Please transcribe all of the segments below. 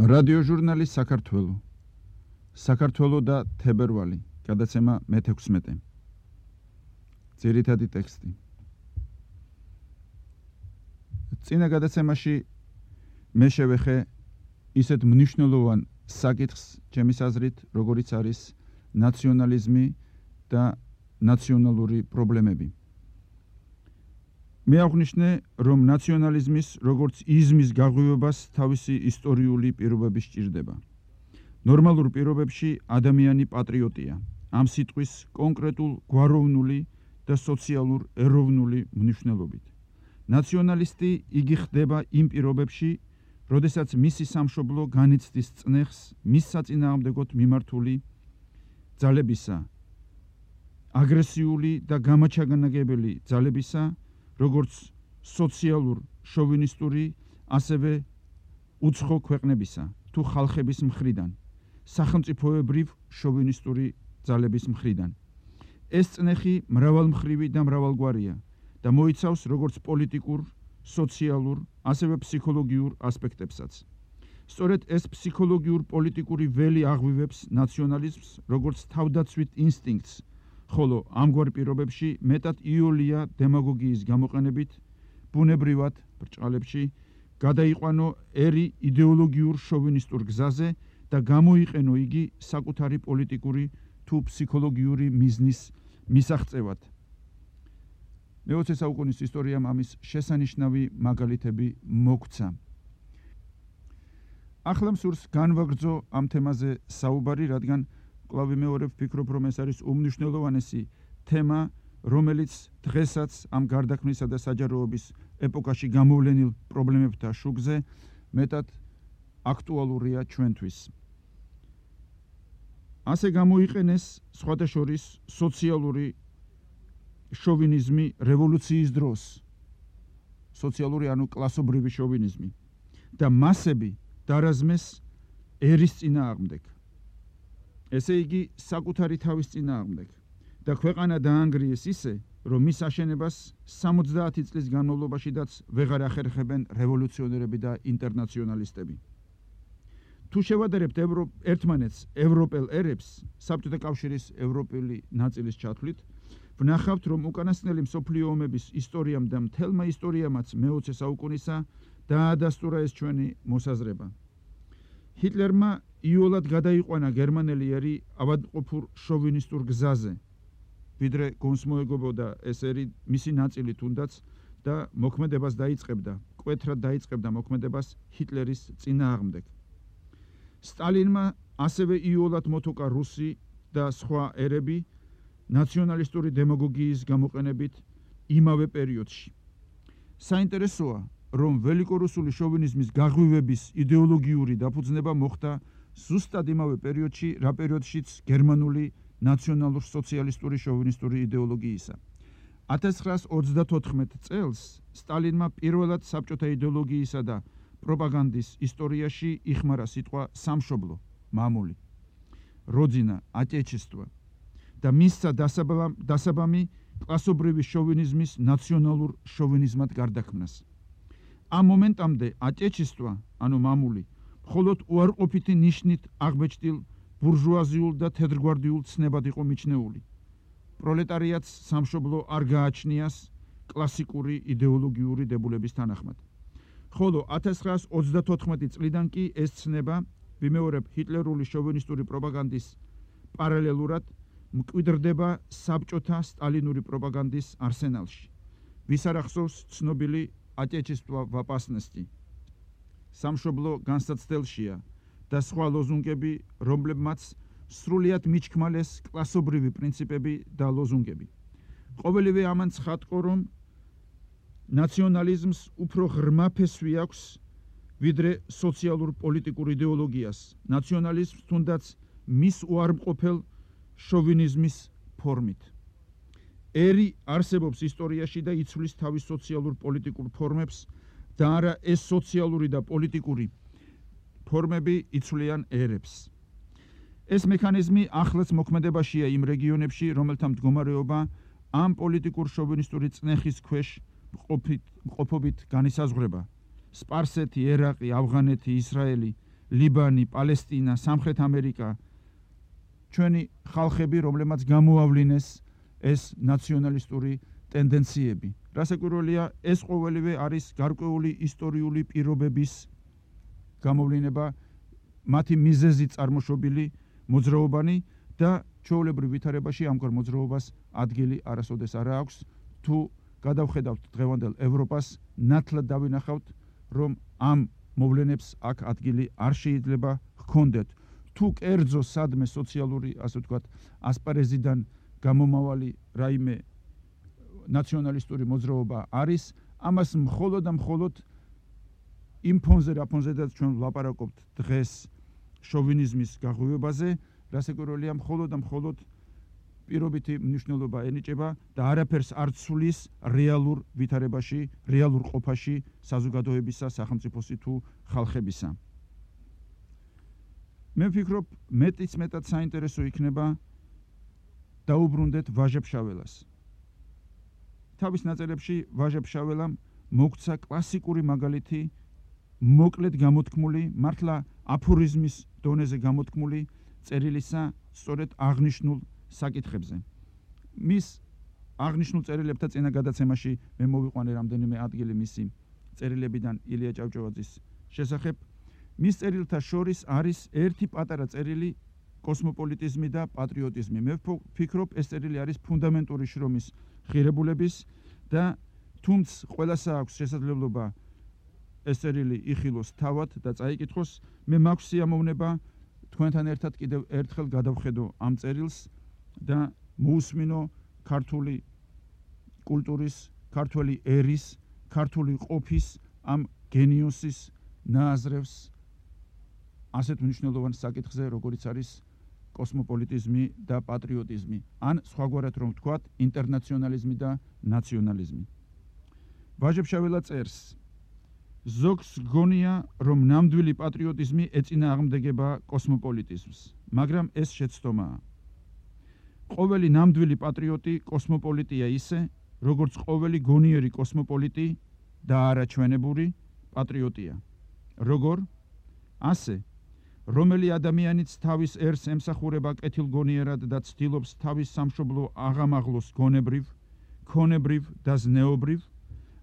რადიოჟურნალი საქართველო. საქართველო და თებერვალი. გადაცემა მე-16. ძირითადი ტექსტი. წინა გადაცემაში მე შევეხე ისეთ მნიშვნელოვან საკითხს, ჩემის აზრით, როგორიც არის ნაციონალიზმი და ნაციონალური პრობლემები. მე აღვნიშნე, რომ ნაციონალიზმის როგორც იზმის გაღვივებას თავისი ისტორიული პირობები სჭირდება. ნორმალურ პირობებში ადამიანი პატრიოტია, ამ სიტყვის კონკრეტულ გვაროვნული და სოციალურ ეროვნული მნიშვნელობით. ნაციონალისტი იგი ხდება იმ პირობებში, როდესაც მისი სამშობლო განიცდის წნეხს მის საწინააღმდეგოდ მიმართული ძალებისა, აგრესიული და გამაჩაგანაგებელი ძალებისა, როგორც სოციალურ შოვინისტური, ასევე უცხო ქვეყნებისა თუ ხალხების მხრიდან, სახელმწიფოებრივ შოვინისტური ძალების მხრიდან. ეს წნეხი მრავალმხრივი და მრავალგვარია და მოიცავს როგორც პოლიტიკურ, სოციალურ, ასევე ფსიქოლოგიურ ასპექტებსაც. სწორედ ეს ფსიქოლოგიურ-პოლიტიკური ველი აღვივებს ნაციონალიზმს როგორც თავდაცვით ინსტინქტს, ხოლო ამგვარ პირობებში მეტად იოლია დემაგოგიის გამოყენებით, ბუნებრივად ბრჭყალებში გადაიყვანო ერი იდეოლოგიურ შოვინისტურ გზაზე და გამოიყენო იგი საკუთარი პოლიტიკური თუ ფსიქოლოგიური მიზნის მისაღწევად. მე-20 საუკუნის ისტორიამ ამის შესანიშნავი მაგალითები მოგვცა. ახლა მსურს განვაგრძო ამ თემაზე საუბარი, რადგან კვლავ ვიმეორებ, ვფიქრობ, რომ ეს არის უმნიშვნელოვანესი თემა, რომელიც დღესაც ამ გარდაქმნისა და საჯაროობის ეპოქაში გამოვლენილ პრობლემებთან შუქზე მეტად აქტუალურია ჩვენთვის. ასე გამოიყენეს სხვათა შორის სოციალური შოვინიზმი რევოლუციის დროს, სოციალური ანუ კლასობრივი შოვინიზმი და მასები დარაზმეს ერის წინააღმდეგ. ესე იგი, საკუთარი თავის წინააღმდეგ და ქვეყანა დაანგრიეს ისე, რომ მის აშენებას 70 წლის განმავლობაშიდაც ვეღარ ახერხებენ რევოლუციონერები და ინტერნაციონალისტები. თუ შევადარებთ ერთმანეთს ევროპელ ერებს, საბჭოთა კავშირის ევროპელი ნაწილის ჩათვლით, ვნახავთ, რომ უკანასკნელი მსოფლიო ომების ისტორიამ და მთელმა ისტორიამაც მე-20 საუკუნისა დაადასტურა ეს ჩვენი მოსაზრება. ჰიტლერმა იოლად გადაიყვანა გერმანელი ერი ავადმყოფურ შოვინისტურ გზაზე, ვიდრე გონს მოეგებოდა ეს ერი მისი ნაწილი თუნდაც და მოქმედებას დაიწყებდა, მკვეთრად დაიწყებდა მოქმედებას ჰიტლერის წინააღმდეგ. სტალინმა ასევე იოლად მოთოკა რუსი და სხვა ერები ნაციონალისტური დემაგოგიის გამოყენებით იმავე პერიოდში. საინტერესოა, რომ ველიკორუსული შოვინიზმის გაღვივების იდეოლოგიური დაფუძნება მოხდა ზუსტად იმავე პერიოდში, რა პერიოდშიც გერმანული ნაციონალურ-სოციალისტური შოვინისტური იდეოლოგიისა. 1934 წელს სტალინმა პირველად საბჭოთა იდეოლოგიისა და პროპაგანდის ისტორიაში იხმარა სიტყვა სამშობლო, მამული, როძინა, ატეჩესტვა და მისცა დასაბამი კლასობრივი შოვინიზმის ნაციონალურ შოვინიზმად გარდაქმნას. ამ მომენტამდე ატეჩესტვა, ანუ მამული, მხოლოდ უარყოფითი ნიშნით აღბეჭდილ ბურჟუაზიულ და თეთრგვარდიულ ცნებად იყო მიჩნეული. პროლეტარიატს სამშობლო არ გააჩნიას კლასიკური იდეოლოგიური დებულების თანახმად. ხოლო 1934 წლიდან კი ეს ცნება, ვიმეორებ, ჰიტლერული შოვინისტური პროპაგანდის პარალელურად მკვიდრდება საბჭოთა სტალინური პროპაგანდის არსენალში. ვის არ ახსოვს ცნობილი ატეჩესტვა v opasnosti, სამშობლო განსაცდელშია და სხვა ლოზუნგები, რომლებმაც სრულიად მიჩქმალეს კლასობრივი პრინციპები და ლოზუნგები. ყოველივე ამან ცხადყო, რომ ნაციონალიზმს უფრო ღრმა ფესვი აქვს, ვიდრე სოციალურ პოლიტიკურ იდეოლოგიას. ნაციონალიზმს თუნდაც მის უარმყოფელ შოვინიზმის ფორმით. ერი არსებობს ისტორიაში და იცვლის თავის სოციალურ პოლიტიკურ ფორმებს და არა ეს სოციალური და პოლიტიკური ფორმები იცვლიან ერებს. ეს მექანიზმი ახლაც მოქმედებაშია იმ რეგიონებში, რომელთა მდგომარეობა ამ პოლიტიკურ შოვინისტური წნეხის ქვეშ მყოფობით განისაზღვრება. სპარსეთი, ერაყი, ავღანეთი, ისრაელი, ლიბანი, პალესტინა, სამხრეთ ამერიკა, ჩვენი ხალხები, რომლებმაც გამოავლინეს ეს ნაციონალისტური ტენდენციები. რასაკვირველია, ეს ყოველივე არის გარკვეული ისტორიული პირობების გამოვლინება, მათი მიზეზით წარმოშობილი მოძრაობანი და ჩვეულებრივ ვითარებაში ამგვარ მოძრაობას ადგილი არასოდეს არ აქვს. თუ გადავხედავთ დღევანდელ ევროპას, ნათლად დავინახავთ, რომ ამ მოვლენებს აქ ადგილი არ შეიძლება ჰქონდეთ. თუ კერძო სადმე სოციალური, ასე ვთქვათ, ასპარეზიდან გამომავალი რაიმე ნაციონალისტური მოძრაობა არის, ამას მხოლოდ და მხოლოდ იმ ფონზე, რა ფონზედაც ჩვენ ვლაპარაკობთ დღეს შოვინიზმის გაღვივებაზე, რასაკვირველია, მხოლოდ და მხოლოდ პირობითი მნიშვნელობა ენიჭება და არაფერს არ ცვლის რეალურ ვითარებაში, რეალურ ყოფაში საზოგადოებისა, სახელმწიფოსი თუ ხალხებისა. მე ვფიქრობ, მეტიც მეტად საინტერესო იქნება დაუბრუნდეთ ვაჟა-ფშაველას. თავის ნაწერებში ვაჟა-ფშაველამ მოგცა კლასიკური მაგალითი, მოკლედ გამოთქმული, მართლა აფორიზმის დონეზე გამოთქმული წერილისა სწორედ აღნიშნულ საკითხებზე. მის აღნიშნულ წერილებთან წინა გადაცემაში მე მოვიყვანე რამდენიმე ადგილი მისი წერილებიდან ილია ჭავჭავაძის შესახებ. მის წერილთა შორის არის ერთი პატარა წერილი კოსმოპოლიტიზმი და პატრიოტიზმი. მე ვფიქრობ, ეს წერილი არის ფუნდამენტური შრომის ღირებულების და თუმც ყველასა აქვს შესაძლებლობა ეს წერილი იხილოს თავად და წაიკითხოს. მე მაქვს სიამოვნება თქვენთან ერთად კიდევ ერთხელ გადავხედო ამ წერილს და მოусმინო ქართული კულტურის, ქართული ერის, ქართული ყოფის ამ გენიოსის ნააზრევს ასეთ მნიშვნელოვან საკითხზე, როგორიც არის კოსმოპოლიტიზმი და პატრიოტიზმი, ან სხვაგვარად რომ ვთქვათ, ინტერნაციონალიზმი და ნაციონალიზმი. ვაჟა-ფშაველა წერს: ზოგს გონია, რომ ნამდვილი პატრიოტიზმი ეწინააღმდეგება კოსმოპოლიტიზმს, მაგრამ ეს შეცდომაა. ყოველი ნამდვილი პატრიოტი კოსმოპოლიტია ისე, როგორც ყოველი გონიერი კოსმოპოლიტი და არაჩვენებური პატრიოტია. როგორ? ასე, რომელი ადამიანიც თავის ერს ემსახურება კეთილგონიერად და ცდილობს თავის სამშობლო აღამაღლოს გონებრივ, ქონებრივ და ზნეობრივ,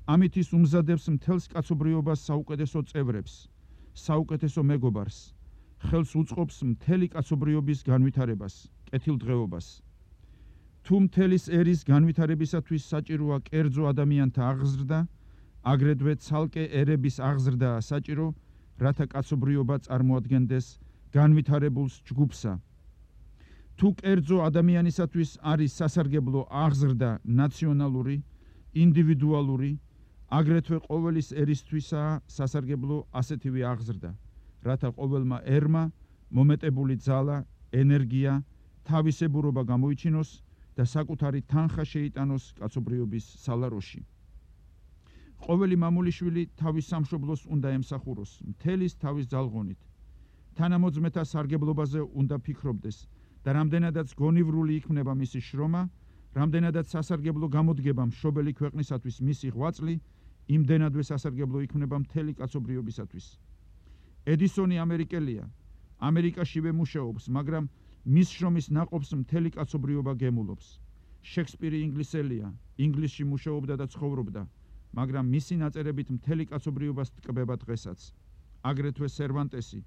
ამით ის უმზადებს მთელს კაცობრიობას საუკეთესო წევრებს, საუკეთესო მეგობარს, ხელს უწყობს მთელი კაცობრიობის განვითარებას, კეთილდღეობას. თუ მთელის ერის განვითარებისათვის საჭიროა კერძო ადამიანთა აღზრდა, აგრეთვე ცალკე ერების აღზრდაა საჭირო, რათა კაცობრიობა წარმოადგენდეს განვითარებულს ჯგუფსა. თუ კერძო ადამიანისათვის არის სასარგებლო აღზრდა ნაციონალური, ინდივიდუალური, აგრეთვე ყოველის ერისთვისაა სასარგებლო ასეთივე აღზრდა, რათა ყოველმა ერმა მომეტებული ძალა, ენერგია, თავისებურობა გამოიჩინოს და საკუთარი თანხა შეიტანოს კაცობრიობის სალაროში. ყოველი მამულიშვილი თავის სამშობლოს უნდა ემსახუროს, მთელის თავის ძალღონით. თანამოძმეთა სარგებლობაზე უნდა ფიქრობდეს და რამდენადაც გონივრული იქმნება მისი შრომა, რამდენადაც სასარგებლო გამოდგება მშობელი ქვეყნისათვის მისი ღვაწლი, იმდენადვე სასარგებლო იქმნება მთელი კაცობრიობისათვის. ედისონი ამერიკელია, ამერიკაშივე მუშაობს, მაგრამ მის შრომის ნაყოფს მთელი კაცობრიობა გემულობს. შექსპირი ინგლისელია, ინგლისში მუშაობდა და ცხოვრობდა, მაგრამ მისი ნაწერებით მთელი კაცობრიობას ტკბება დღესაც. აგრეთვე სერვანტესი,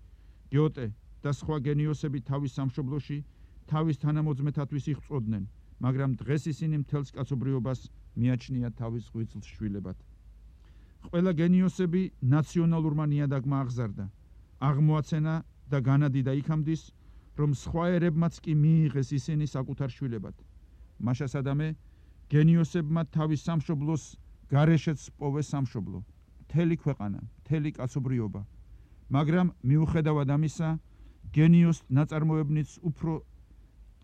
გიოტე და სხვა გენიოსები თავის სამშობლოში თავის თანამოძმეთათვის იღვწოდნენ, მაგრამ დღეს ისინი მთელს კაცობრიობას მიაჩნიათ თავის ღვიძლს შვილებად. ყველა გენიოსები ნაციონალურმა ნიადაგმა აღზარდა, აღმოაცენა და განადიდა იქამდის, რომ სხვა ერებმაც კი მიიღეს ისინი საკუთარ შვილებად. მაშა სადამე გენიოსებმა თავის სამშობლოს გარეშეც პოვეს სამშობლო, მთელი ქვეყანა, მთელი კაცობრიობა, მაგრამ მიუხედავად ამისა, გენიოს ნაწარმოებნიც უფრო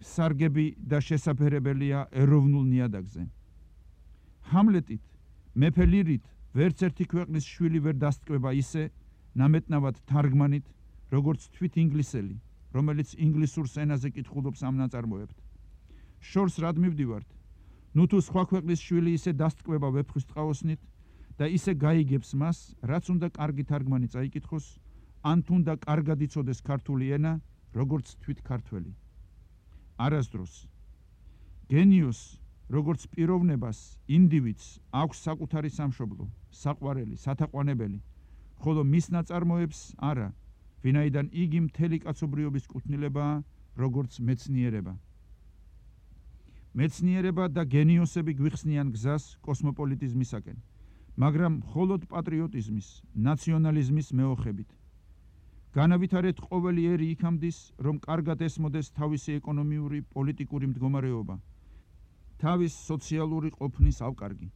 სარგები და შესაფერებელია ეროვნულ ნიადაგზე. ჰამლეტით, მეფე ლირით, ვერც ერთი ქვეყნის შვილი ვერ დასტკბება ისე, ნამეტნავად თარგმანით, როგორც თვით ინგლისელი, რომელიც ინგლისურ ენაზე კითხულობს ამ ნაწარმოებთ. შორს რად მივდივართ? ნუ თუ სხვა ქვეყნის შვილი ისე დასტკბება ვეფხვის ტყაოსნით და ისე გაიგებს მას, რაც უნდა კარგი თარგმანი წაიკითხოს, ან თუნდა კარგად იცოდეს ქართული ენა, როგორც თვით ქართველი. არასდროს გენიოს როგორც პიროვნებას, ინდივიდს აქვს საკუთარი სამშობლო, საყვარელი, სათაყვანებელი, ხოლო მის ნაწარმოებს არა, ვინაიდან იგი მთელი კაცობრიობის კუთვნილებაა, როგორც მეცნიერება. მეცნიერება და გენიოსები გვიხსნიან გზას კოსმოპოლიტიზმისაკენ, მაგრამ მხოლოდ პატრიოტიზმის, ნაციონალიზმის მეოხებით. განავითარეთ ყოველი ერი იქამდის, რომ კარგად ესმოდეს თავისი ეკონომიური, პოლიტიკური მდგომარეობა, თავის სოციალური ყოფნის ავკარგი.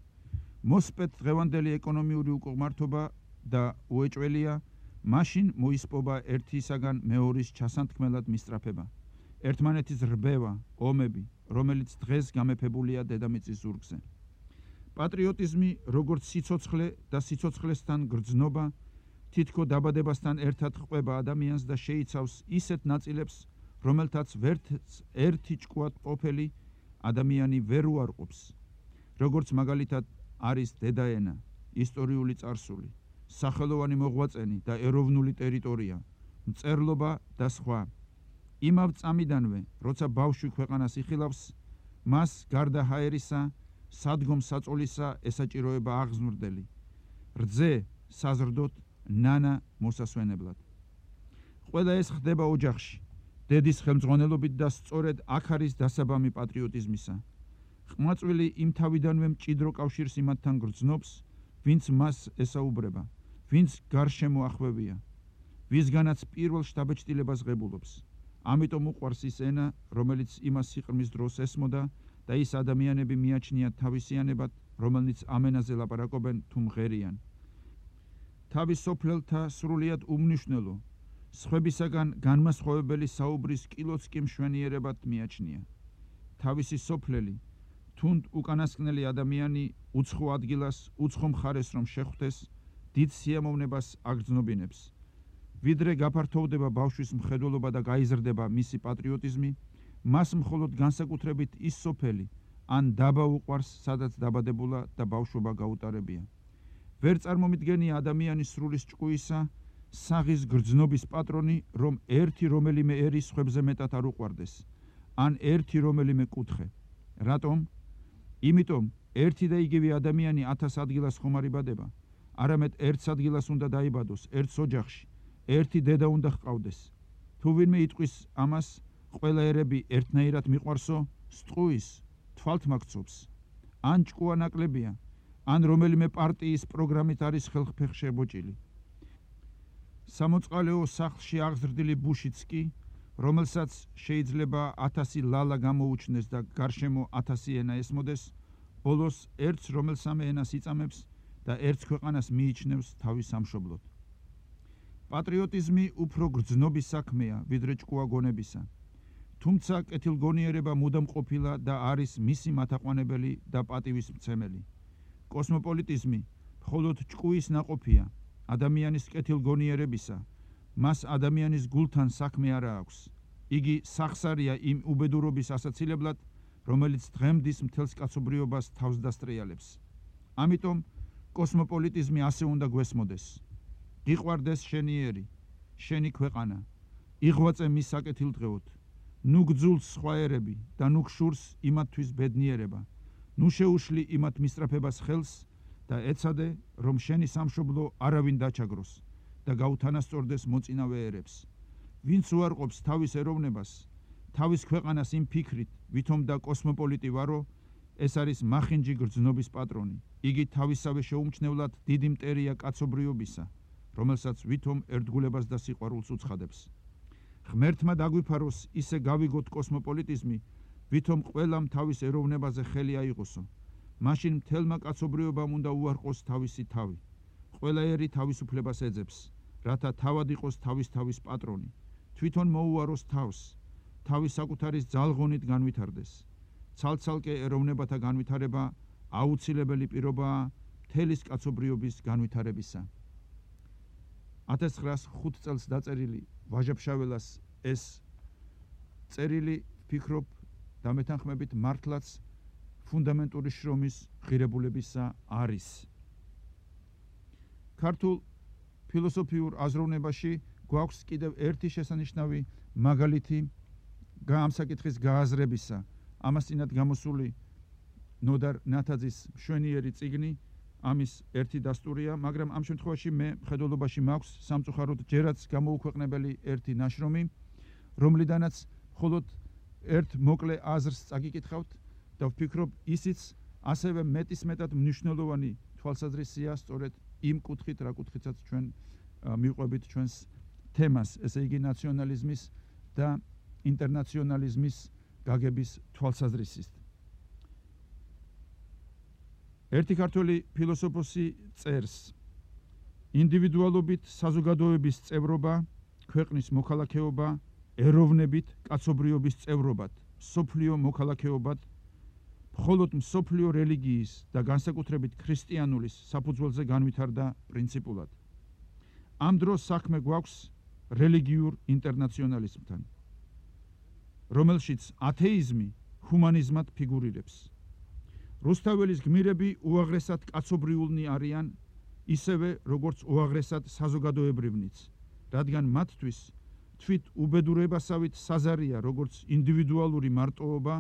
მოსპეთ დღევანდელი ეკონომიური უკუღმართობა და უეჭველია, მაშინ მოისპობა ერთისაგან მეორის ჩასანთქმელად მისწრაფება, ერთმანეთის რბევა, ომები, რომელიც დღეს გამეფებულია დედამიწის ზურგზე. პატრიოტიზმი, როგორც სიცოცხლე და სიცოცხლესთან გრძნობა, თითქო დაბადებასთან ერთად ყვება ადამიანს და შეიცავს ისეთ ნაწილებს, რომელთაც ერთი ჭკუად ყოფილი ადამიანი ვერ უარყოფს, როგორც მაგალითად არის დედაენა, ისტორიული წარსული, სახელოვანი მოღვაწენი და ეროვნული ტერიტორია, მწერლობა და სხვა. იმავ წამიდანვე, როცა ბავშვი ქვეყანას იხილავს, მას გარდა ჰაერისა, სადგომ-საწოლისა ესაჭიროება აღზრდელი, რძე საზრდოთ, ნანა მოსასვენებლად. ყველა ეს ხდება ოჯახში, დედის ხელმძღვანელობით და სწორედ აქ არის დასაბამი პატრიოტიზმისა. ყმაწვილი იმ თავიდანვე მჭიდრო კავშირს იმათთან გრძნობს, ვინც მას ესაუბრება, ვინც გარშემო ახვევია, ვისგანაც პირველ შთაბეჭდილებას ღებულობს. ამიტომ უყვარს ის ენა, რომელიც იმას სიყრმის დროს ესმოდა და ის ადამიანები მიაჩნიათ თავისიანებად, რომელნიც ამ ენაზე ლაპარაკობენ თუ მღერიან. თავის სოფლელთა სრულიად უმნიშვნელო, სხვებისაგან განმასხვავებელი საუბრის კილოც კი მშვენიერებად მიაჩნია. თავისი სოფლელი, თუნდ უკანასკნელი ადამიანი უცხო ადგილას, უცხო მხარეს რომ შეხვდეს, დიდ სიამოვნებას აგრძნობინებს. ვიდრე გაფართოვდება ბავშვის მხედველობა და გაიზრდება მისი პატრიოტიზმი, მას მხოლოდ განსაკუთრებით ის სოფელი, ან დაბა უყვარს, სადაც დაბადებულა და ბავშვობა გაუტარებია. ვერ წარმომიდგენია ადამიანის სრულის ჭკუისა, საღის გრძნობის პატრონი, რომ ერთი რომელიმე ერი სხვებზე მეტად არ უყვარდეს, ან ერთი რომელიმე კუთხე. რატომ? იმიტომ, ერთი და იგივე ადამიანი 1000 ადგილას ხომ არ იბადება, არამედ ერთ ადგილას უნდა დაიბადოს, ერთ ოჯახში, ერთი დედა უნდა ჰყავდეს. თუ ვინმე იტყვის ამას, ყველა ერები ერთნაირად მიყვარსო, სტყუის, თვალთ მაგცობს. ან ჭკუა ნაკლებია, ან რომელიმე პარტიის პროგრამით არის ხელფეხ შებოჭილი. სამოწყალეო სახლში აღზრდილი ბუშიც კი, რომელსაც შეიძლება 1000 ლალა გამოუჩნდეს და გარშემო 1000 ენა ესმოდეს, ბოლოს ერთს რომელსამე ენას იწამებს და ერთს ქვეყანას მიიჩნევს თავის სამშობლოდ. პატრიოტიზმი უფრო გრძნობის საქმეა, ვიდრე ჭკუა გონებისა. თუმცა კეთილგონიერება მუდამ ყოფილა და არის მისი მათაყვანებელი და პატივისმცემელი. კოსმოპოლიტიზმი მხოლოდ ჭკუის ნაყოფია, ადამიანის კეთილგონიერებისა, მას ადამიანის გულთან საქმე არა აქვს. იგი სახსარია იმ უბედურობის ასაცილებლად, რომელიც დღემდის მთელს კაცობრიობას თავს დასტრიალებს. ამიტომ კოსმოპოლიტიზმი ასე უნდა გვესმოდეს. გიყვარდეს შენი ერი, შენი ქვეყანა, იღვაწე მის საკეთილდღეოდ, ნუ გძულს სხვა ერები და ნუ გშურს იმათთვის ბედნიერება, ნუ შეუშლი იმათ მისწრაფებას ხელს და ეცადე, რომ შენი სამშობლო არავინ დაჩაგროს და გაუთანასწორდეს მოწინავე ერებს. ვინც უარყოფს თავის ეროვნებას, თავის ქვეყანას იმ ფიქრით, ვითომ და კოსმოპოლიტი ვარო, ეს არის მახინჯი გრძნობის პატრონი. იგი თავისავე შეუმჩნევლად დიდი მტერია კაცობრიობისა, რომელსაც ვითომ ერთგულებას და სიყვარულს უცხადებს. ღმერთმა დაგვიფაროს ისე გავიგოთ კოსმოპოლიტიზმი, ვითომ ყველამ თავის ეროვნებაზე ხელი აიღოსო. მაშინ მთელმა კაცობრიობამ უნდა უარყოს თავისი თავი. ყველა ერი თავისუფლებას ეძებს, რათა თავად იყოს თავის პატრონი. თვითონ მოუაროს თავს, თავის საკუთარის ძალღონით განვითარდეს. ცალ-ცალკე ეროვნებათა განვითარება აუცილებელი პირობაა მთელის კაცობრიობის განვითარებისა. 1905 წელს დაწერილი ვაჟა-ფშაველას ეს წერილი ვფიქრობ და მეთანხმებით მართლაც ფუნდამენტური შრომის ღირებულებისა არის. ქართულ ფილოსოფიურ აზროვნებაში გვაქვს კიდევ ერთი შესანიშნავი მაგალითი ამ საკითხის გააზრებისა. ამას წინათ გამოსული ნოდარ ნათაძის მშვენიერი წიგნი, ამის ერთი დასტურია, მაგრამ ამ შემთხვევაში მე მხედველობაში მაქვს სამწუხაროდ ჯერაც გამოუქვეყნებელი ერთი ნაშრომი, რომლიდანაც მხოლოდ ერთ მოკლე აზრს წაგიკითხავთ და ვფიქრობ ისიც ასევე მეტისმეტად მნიშვნელოვანი თვალსაზრისია სწორედ იმ კუთხით, რა კუთხითაც ჩვენ მივყვებით ჩვენს თემას, ესე იგი ნაციონალიზმის და ინტერნაციონალიზმის გაგების თვალსაზრისით. ერთი ქართველი ფილოსოფოსი წერს: ინდივიდუალობით საზოგადოების წევრობა, ქვეყნის მოქალაქეობა, ეროვნებით კაცობრიობის წევრობად, მსოფლიო მოქალაქეობად, მხოლოდ მსოფლიო რელიგიის და განსაკუთრებით ქრისტიანულის საფუძველზე განვითარდა პრინციპულად. ამ დროს საქმე გვაქვს რელიგიურ ინტერნაციონალიზმთან, რომელშიც ათეიზმი ჰუმანიზმად ფიგურირებს. რუსთაველის გმირები უაღრესად კაცობრიულნი არიან, ისევე როგორც უაღრესად საზოგადოებრივნიც, რადგან მათთვის თვით უბედურებასავით საზარია როგორც ინდივიდუალური მარტოობა,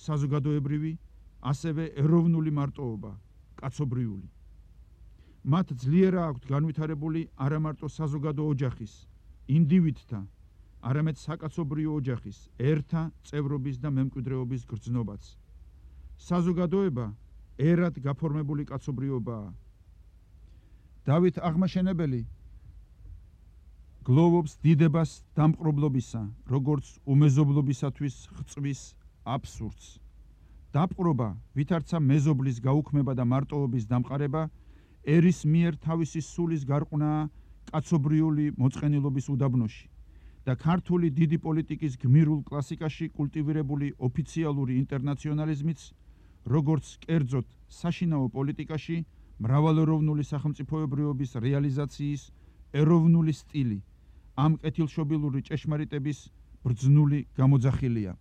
საზოგადოებრივი, ასევე ეროვნული მარტოობა, კაცობრიული. მათ ძლიერა აქვთ განვითარებული არამარტო საზოგადო ოჯახის, ინდივიდთა, არამედ საკაცობრიო ოჯახის, ერთა წევრობის და მემკვიდრეობის გრძნობაც. საზოგადოება ერად გაფორმებული კაცობრიობაა. დავით აღმაშენებელი გლოვობს დიდებას დამპყრობლობისა, როგორც უმეზობლობისათვის ხწვის აბსურდს. დაპყრობა, ვითარცა მეზობლის გაუქმება და მარტოობის დამყარება, ერის მიერ თავისი სულის გარყვნაა კაცობრიული მოწყენილობის უდაბნოში და ქართული დიდი პოლიტიკის გმირულ კლასიკაში კულტივირებული ოფიციალური ინტერნაციონალიზმიც, როგორც კერძოდ საშინაო პოლიტიკაში მრავალეროვნული სახელმწიფოებრიობის რეალიზაციის ეროვნული სტილი, ამ კეთილშობილური ჭეშმარიტების ბრძნული გამოძახილია.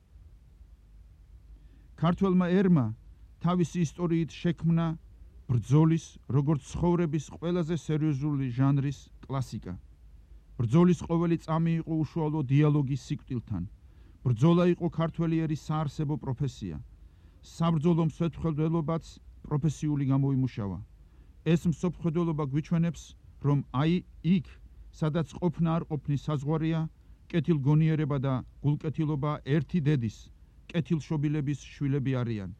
ქართველმა ერმა თავისი ისტორიით შექმნა ბრძოლის, როგორც ცხოვრების ყველაზე სერიოზული ჟანრის კლასიკა. ბრძოლის ყოველი წამი იყო უშუალო დიალოგის სიკვდილთან. ბრძოლა იყო ქართველი ერის საარსებო პროფესია. საბრძოლო მსოფლმხედველობაც პროფესიული გამოიმუშავა. ეს მსოფლმხედველობა გვიჩვენებს, რომ აი იქ, სადაც ყოფნა არ ყოფნის საზღვარია, კეთილგონიერება და გულკეთილობა ერთი დედის, კეთილშობილების შვილები არიან.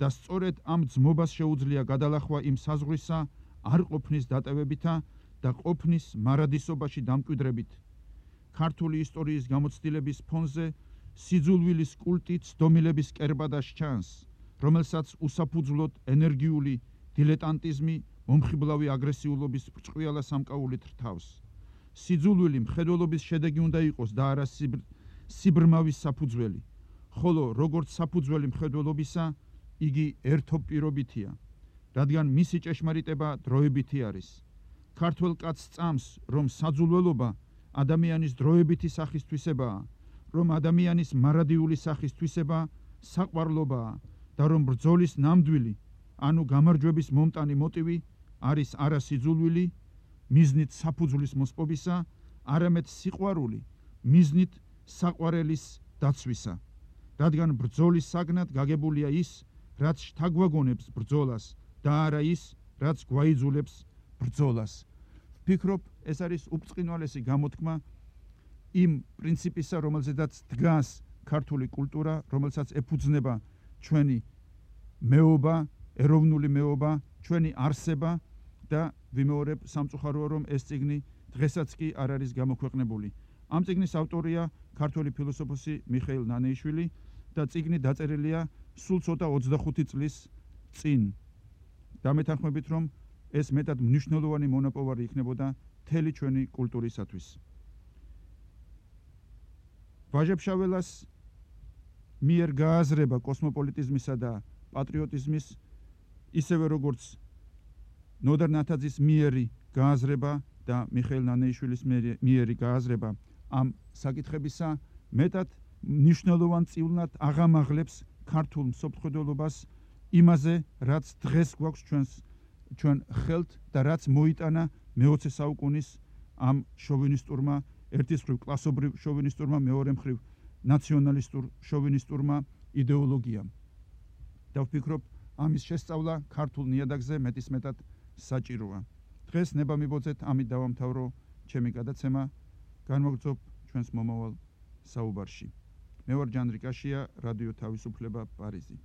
და სწორედ ამ ძმობას შეუძლია გადალახვა იმ საზღვრისა არ ყოფნის დატევებითა და ყოფნის მარადისობაში დამკვიდრებით. ქართული ისტორიის გამოცდილების ფონზე სიძულვილის კულტი ცდომილების კერბადას ჩანს, რომელსაც უსაფუძვლოდ ენერგიული დილეტანტიზმი მომხიბლავი აგრესიულობის ბრჭყვიალა სამკაულით რთავს. სიძულვილი მხედველობის შედეგი უნდა იყოს და არა სიბრმავის საფუძველი, ხოლო როგორც საფუძველი მხედველობისა, იგი ერთობპირობითია, რადგან მისი ჭეშმარიტება დროებითი არის. ქართველ კაცს წამს, რომ საძულველობა ადამიანის დროებითი სახის თვისებაა, რომ ადამიანის მარადიული სახის თვისება საყვარლობაა და რომ ბრძოლის ნამდვილი, ანუ გამარჯვების მომტანი მოტივი არის არა სიძულვილი, მიზნით საფუძვლის მოსპობისა, არამედ სიყვარული, მიზნით საყვარელის დაცვისა. რადგან ბრძოლის საგნად გაგებულია ის, რაც შთაგვაგონებს ბრძოლას და არა ის, რაც გვაიძულებს ბრძოლას. ვფიქრობ, ეს არის უბრწყინვალესი გამოთქმა იმ პრინციპისა, რომელზედაც დგას ქართული კულტურა, რომელსაც ეფუძნება ჩვენი მეობა, ეროვნული მეობა, ჩვენი არსება და ვიმეორებ სამწუხაროა, რომ ეს წიგნი დღესაც კი არ არის გამოქვეყნებული. ამ წიგნის ავტორია ქართველი ფილოსოფოსი მიხეილ ნანეიშვილი და წიგნი დაწერილია სულ ცოტა 25 წლის წინ. დამეთანხმებით, რომ ეს მეტად მნიშვნელოვანი მონაპოვარი იქნებოდა მთელი ჩვენი კულტურისათვის. ვაჟებ-შაველას მიერ გააზრება კოსმოპოლიტიზმისა და პატრიოტიზმის, ისევე როგორც ნოდარ ნათაძის მიერი გააზრება და მიხეილ ნანეიშვილის მიერი გააზრება ამ საკითხებისა მეტად მნიშვნელოვან წილნად აღამაღლებს ქართულ მსოფლმხედველობას იმაზე, რაც დღეს გვაქვს ჩვენ ხელთ და რაც მოიტანა მე-20 საუკუნის ამ შოვინისტურმა, ერთის მხრივ კლასობრივ შოვინისტურმა, მეორე მხრივ ნაციონალისტურ შოვინისტურმა იდეოლოგიამ. და ვფიქრობ, ამის შესწავლა ქართულ ნიადაგზე მეტისმეტად საჭიროა. დღეს ნება მიბოძეთ, ამით დავამთავრო ჩემი გადაცემა. განმოგრძობ ჩვენს მომავალ საუბარში. მე ვარ ჯანდრიკაშია, რადიო თავისუფლება, პარიზი.